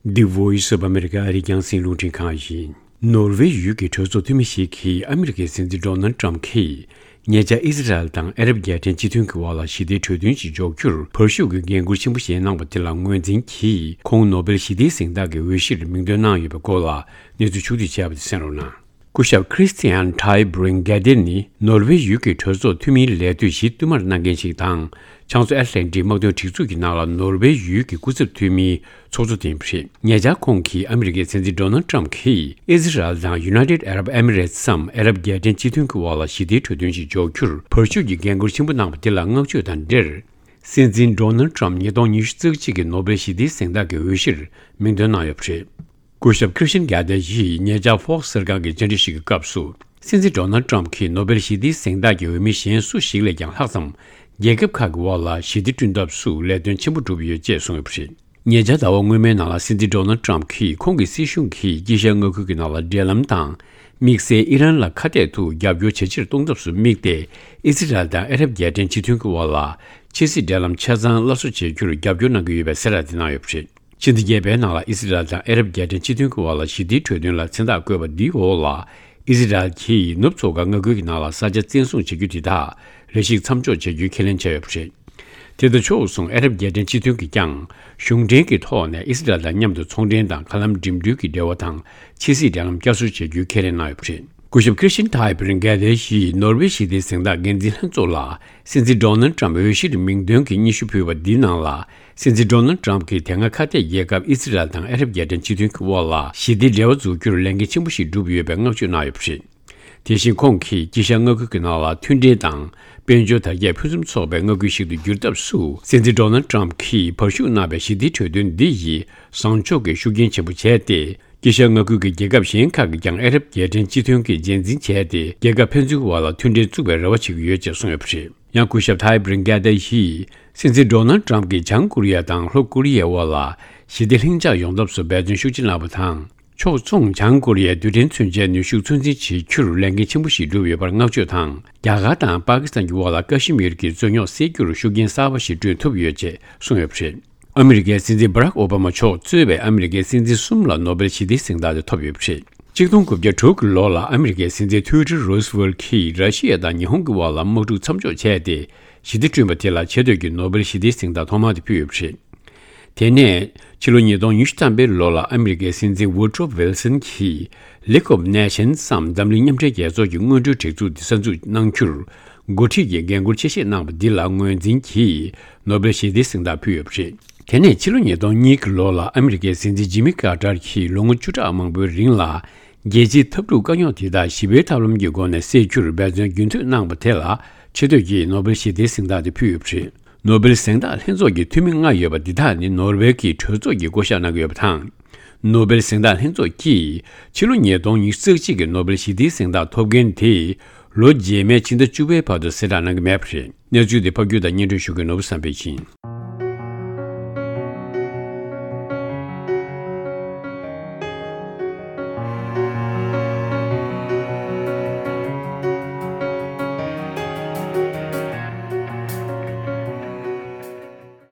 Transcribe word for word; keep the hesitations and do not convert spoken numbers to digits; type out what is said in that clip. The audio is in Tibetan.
The Voice of America ཨ་རིའི་རྒྱང་སྲིང་རླུང་འཕྲིན་ཁང་ཡིན། ནོར་ཝེ་ཡུལ་གྱི་གྲོས་ཚོགས་འཐུས་མི་ཞིག་གིས་ཨ་མི་རི་ཀའི་སྲིད་འཛིན་ཌོ་ནལ་ཊམ་གྱིས་ཉེ་ཆར་ཨི་ཟི་རལ་དང་ཨ་རབ་རྒྱལ་ཕྲན་སྤྱི་མཐུན་གྱི་དབར་ལ་ཞི་བདེའི་གྲོས་མཐུན་ཞིག་འཇོག་རྒྱུར་བར་ཞུགས་ཀྱི་འགན་འཁུར་ཆེན་པོ་བཞེས་གནང་བ་དེ་ལ་ངོས་འཛིན་གྱིས་ཁོང་ནོ་སྦེལ་ཞི་བདེའི་གཟེངས་རྟགས་ཀྱི་འོས་གཞིར་མིང་འདོན་གནང་ཡོད་པའི་སྐོར་ལ་གནས་ཚུལ་ཕྱོགས་བསྡུས་བྱས་པ་དེ་གསན་རོགས་གནང་། སྐུ་ཞབས་Christian Tybring-Gjedde ནི་ནོར་ཝེ་ཡུལ་གྱི་གྲོས་ཚོགས་འཐུས་མིའི་ལས་དུས་བཞི་བསྟུད་མར་གནང་མཁན་ཞིག་དང་། བྱང་མཚོ་ཨེཊ་ལན་ཊིག་དམག་དོན་སྒྲིག་འཛུགས་ཀྱི་ནང་ལ་ནོར་ཝེ་ཡུལ་གྱི་སྐུ་ཚབ་འཐུས་མིའི་ཚོགས་གཙོ་དེ་ཡིན་པ་རེད། ཉེ་ཆར་ཁོང་གིས་ཨ་མི་རི་ཀའི་སྲིད་འཛིན་ཌོ་ནལ་ཊམ་གྱིས་ཨི་ཟི་རལ་དང་United Arab Emirates སམ་ཨ་རབ་རྒྱལ་ཕྲན་སྤྱི་མཐུན་གྱི་དབར་ལ་ཞི་བདེའི་གྲོས་མཐུན་ཞིག་འཇོག་རྒྱུར་བར་ཞུགས་ཀྱི་འགན་འཁུར་ཆེན་པོ་གནང་བ་དེ་ལ་བསྔགས་བརྗོད་དང་འབྲེལ། སྲིད་འཛིན་ཌོ་ནལ་ཊམ་ཉིས་སྟོང་ཉི་ཤུ་རྩ་གཅིག་གི་ནོ་སྦེལ་ཞི་བདེའི་གཟེངས་རྟགས་ཀྱི་འོས་གཞིར་མིང་འདོན་གནང་ཡོད་པ་རེད། སྐུ་ཞབས་Christian Gjedde ཡིས་ཉེ་ཆར་Fox གསར་ཁང་གི་བཅར་འདྲི་ཞིག་གི་སྐབས་སུ། སྲིད་འཛིན་ཌོ་ནལ་ཊམ་གྱིས་ནོ་སྦེལ་ཞི་བདེའི་གཟེངས་རྟགས་ཀྱི་འོས་མི་གཞན་སུ་ཞིག་ལས་ཀྱང་ལྷག་ཙམ། རྒྱལ་ཁབ་ཁག་གི་དབར་ལ་ཞི་བདེ་བསྐྲུན་ཐབས་སུ་ལས་དོན་ཆེན་པོ་བསྒྲུབས་ཡོད་ཅེས་གསུངས་ཡོད་པ་རེད། ཉེ་ཆར་ཟླ་བ་སྔོན་མའི་ནང་ལ་སྲིད་འཛིན་ཌོ་ནལ་ཊམ་གྱིས་ཁོང་གི་སྲིད་གཞུང་གིས་དཀྱིལ་ཤར་མངའ་ཁུལ་གྱི་ནང་ལ་འབྲེལ་ལམ་དང་། དམིགས་བསལ་ཨི་རན་ལ་ཁ་གཏད་དུ་རྒྱབ་སྐྱོར་ཇེ་ཆེར་གཏོང་ཐབས་སུ་དམིགས་ཏེ། ཨི་སི་རལ་དང་ཨ་རབ་རྒྱལ་ཕྲན་སྤྱི་མཐུན་གྱི་དབར་ལ་ཕྱི་སྲིད་འབྲེལ་ལམ་ཆ་ཚང་སླར་གསོ་བྱེད་རྒྱུར་རྒྱབ་སྐྱོར་གནང་གི་ཡོད་པའི་གསལ་བསྒྲགས་དེ་གནང་ཡོད་པ་རེད། ཕྱི་ཟླ་བརྒྱད་པའི་ནང་ལ་ཨི་སི་རལ་དང་ཨ་རབ་རྒྱལ་ཕྲན་སྤྱི་མཐུན་གྱི་དབར་ལ་ཞི་བདེའི་གྲོས་མཐུན་ལ་མཚན་རྟགས་བཀོད་པ་འདིའི་འོག་ལ། ཨི་སི་རལ་གྱིས་ནུབ་མཚོ་ཁ་མངའ་ཁུལ་གྱི་ནང་ལ་ས་ཆ་བཙན་བཟུང་བྱེད་རྒྱུ་དེ་དག་རེ་ཞིག་མཚམས་འཇོག་བྱེད་རྒྱུའི་ཁས་ལེན་བྱས་ཡོད་པ་རེད། དེ་དང་ཕྱོགས་མཚུངས་ཨ་རབ་རྒྱལ་ཕྲན་སྤྱི་མཐུན་གྱིས་ཀྱང་གཞུང་འབྲེལ་གྱི་ཐོག་ནས་ཨི་སི་རལ་དང་མཉམ་དུ་ཚོང་འབྲེལ་དང་མཁའ་ལམ་འགྲིམ་འགྲུལ་གྱི་འབྲེལ་བ་དང་ཕྱི་སྲིད་འབྲེལ་ལམ་བསྐྱར་གསོ་བྱེད་རྒྱུའི་ཁས་ལེན་གནང་ཡོད་པ་རེད། སྐུ་ཞབས་Christian Tybring-Gjedde ཡིས་ནོར་ཝེ་ཞི་བདེའི་གཟེངས་རྟགས་འགན་འཛིན་ལྷན་ཚོགས་ལ་སྲིད་འཛིན་ཌོ་ནལ་ཊམ་འོས་གཞིར་མིང་འདོན་གྱི་སྙན་ཞུ་ཕུལ་བ་འདིའི་ནང་ལ། སྲིད་འཛིན་ཌོ་ནལ་ཊམ་གྱིས་དེ་སྔ་ཁ་གཏད་རྒྱལ་ཁབ་ཨི་སི་རལ་དང་ཨ་རབ་རྒྱལ་ཕྲན་སྤྱི་མཐུན་གྱི་དབར་ལ་ཞི་བདེའི་འབྲེལ་བ་འཛུགས་རྒྱུར་ལས་འགན་ཆེན་པོ་ཞིག་བསྒྲུབས་ཡོད་པའི་བསྔགས་བརྗོད་གནང་ཡོད་པ་རེད། དེ་བཞིན་ཁོང་གིས་དཀྱིལ་ཤར་མངའ་ཁུལ་གྱི་ནང་ལ་མཐུན་སྒྲིལ་དང་དཔལ་འབྱོར་དར་རྒྱས་ཕུན་སུམ་ཚོགས་པའི་མངའ་ཁུལ་ཞིག་ཏུ་འགྱུར་ཐབས་སུ། སྲིད་འཛིན་ཌོ་ནལ་ཊམ་གྱིས་བར་ཞུགས་གནང་བའི་ཞི་བདེའི་གྲོས་མཐུན་འདི་ཡིས་བཟང་ཕྱོགས་ཀྱི་ཤུགས་རྐྱེན་ཆེན་པོ་བྱས་ཏེ། དཀྱིལ་ཤར་མངའ་ཁུལ་གྱི་རྒྱལ་ཁབ་གཞན་ཁག་གིས་ཀྱང་ཨ་རབ་རྒྱལ་ཕྲན་སྤྱི་མཐུན་གྱིས་རྗེས་འཛིན་བྱས་ཏེ། རྒྱལ་ཁབ་ཕན་ཚུན་དབར་ལ་མཐུན་འབྲེལ་བཙུགས་པའི་རེ་བ་བྱེད་ཀྱི་ཡོད་ཅེས་གསུངས་ཡོད་པ་རེད། ཡང་སྐུ་ཞབས་Tybring-Gjedde ཡིས་སྲིད་འཛིན་ཌོ་ནལ་ཊམ་གྱིས་བྱང་ཀོ་རི་ཡ་དང་ལྷོ་ཀོ་རི་ཡའི་དབར་ལ་ཞི་བདེ་ལྷིང་འཇགས་ཡོང་ཐབས་སུ་འབད་བརྩོན་ཤུགས་ཆེ་གནང་བ་དང་། ཕྱོགས་མཚུངས་བྱང་ཀོ་རི་ཡའི་རྡུལ་ཕྲན་མཚོན་ཆའི་ནུས་ཤུགས་ཚོད་འཛིན་བྱེད་རྒྱུར་ལས་འགན་ཆེན་པོ་ཞིག་བསྒྲུབས་ཡོད་པར་བསྔགས་བརྗོད་དང་། རྒྱ་གར་དང་པ་ཀི་སི་ཐན་གྱི་དབར་ལ་ཀ་ཤི་མིར་གྱི་རྩོད་རྙོག་སེལ་རྒྱུར་ཤུགས་རྐྱེན་གསར་པ་ཞིག་བསྐྲུན་ཐུབ་ཡོད་ཅེས་གསུངས་ཡོད་པ་རེད། ཨ་མི་རི་ཀའི་སྲིད་འཛིན་Barack Obama མཆོག་གཙོས་པའི་ཨ་མི་རི་ཀའི་སྲིད་འཛིན་གསུམ་ལ་ནོ་སྦེལ་ཞི་བདེའི་གཟེངས་རྟགས་དེ་ཐོབ་ཡོད་པ་རེད། གཅིག་སྟོང་དགུ་བརྒྱ་དྲུག་གི་ལོ་ལ་ཨ་མི་རི་ཀའི་སྲིད་འཛིན་ཐུའུ་ཌེལ་རོ་སི་ཝེལ་གྱིས་ར་ཤི་ཡ་དང་ཉི་ཧོང་གི་དབར་ལ་དམག་འཁྲུག་མཚམས་འཇོག་བྱས་ཏེ། ཞི་བདེ་བསྐྲུན་པ་དེ་ལ་ཆེས་མཐོའི་ནོ་སྦེལ་ཞི་བདེའི་གཟེངས་རྟགས་ཐོག་མ་དེ་ཕུལ་ཡོད་པ་རེད། དེ་ནས་ཕྱི་ལོ་ཉིས་སྟོང་ཉི་ཤུ་ཐམ་པའི་ལོ་ལ་ཨ་མི་རི་ཀའི་སྲིད་འཛིན་Woodrow Wilson གྱིས་League of Nations སམ་འཛམ་གླིང་མཉམ་འབྲེལ་རྒྱལ་ཚོགས་ཀྱི་སྔོན་འགྲོའི་སྒྲིག་འཛུགས་དེ་གསར་འཛུགས་གནང་རྒྱུར་འགོ་ཁྲིད་ཀྱི་འགན་འཁུར་ཆེ་བཞེས་གནང་བ་འདི་ལ་ངོས་འཛིན་གྱིས་ནོ་སྦེལ་ཞི་བདེའི་གཟེངས་རྟགས་ཕུལ་ཡོད་པ་རེད། དེ་ནས་ཕྱི་ལོ་ཉིས་སྟོང་གཉིས་ཀྱི་ལོ་ལ་ཨ་མི་རི་ཀའི་སྲིད་འཛིན་ཇི་མི་ཀར་ཏར་གྱིས་ལོ་ངོ་བཅུ་ཕྲག་མང་པོའི་རིང་ལ་རྒྱལ་སྤྱིའི་འཐབ་འཁྲུག་དཀའ་རྙོག་དེ་དག་ཞི་བའི་ཐབས་ལམ་གྱི་སྒོ་ནས་སེལ་རྒྱུར་འབད་བརྩོན་རྒྱུན་མཐུད་གནང་བ་དེ་ལ་ཆེས་མཐོའི་ནོ་སྦེལ་ཞི་བདེའི་གཟེངས་རྟགས་དེ་ཕུལ་ཡོད་པ་རེད། ནོ་སྦེལ་གཟེངས་རྟགས་ལྷན་ཚོགས་ཀྱི་འཐུས་མི་ལྔ་ཡོད་པ་འདི་དག་ནི་ནོར་ཝེ་གི་གྲོས་ཚོགས་ཀྱིས་བསྐོ་གཞག་གནང་གི་ཡོད་པ་དང་། ནོ་སྦེལ་གཟེངས་རྟགས་ལྷན་ཚོགས་ཀྱིས་ཕྱི་ལོ་ཉིས་སྟོང་ཉི་ཤུ་རྩ་གཅིག་གི་ནོ་སྦེལ་ཞི་བདེའི་གཟེངས་རྟགས་ཐོབ་མཁན་དེ་ལོ་རྗེས་མའི་ཕྱི་ཟླ་བཅུ་པའི་བར་དུ་གསལ་བསྒྲགས་གནང་གི་མེད་པ་རེད། གནས་ཚུལ་དེ་ཕབ་སྒྱུར་དང་སྙན་སྒྲོན་ཞུ་མཁན་ནོར་བུ་བསམ་འཕེལ་ཡིན།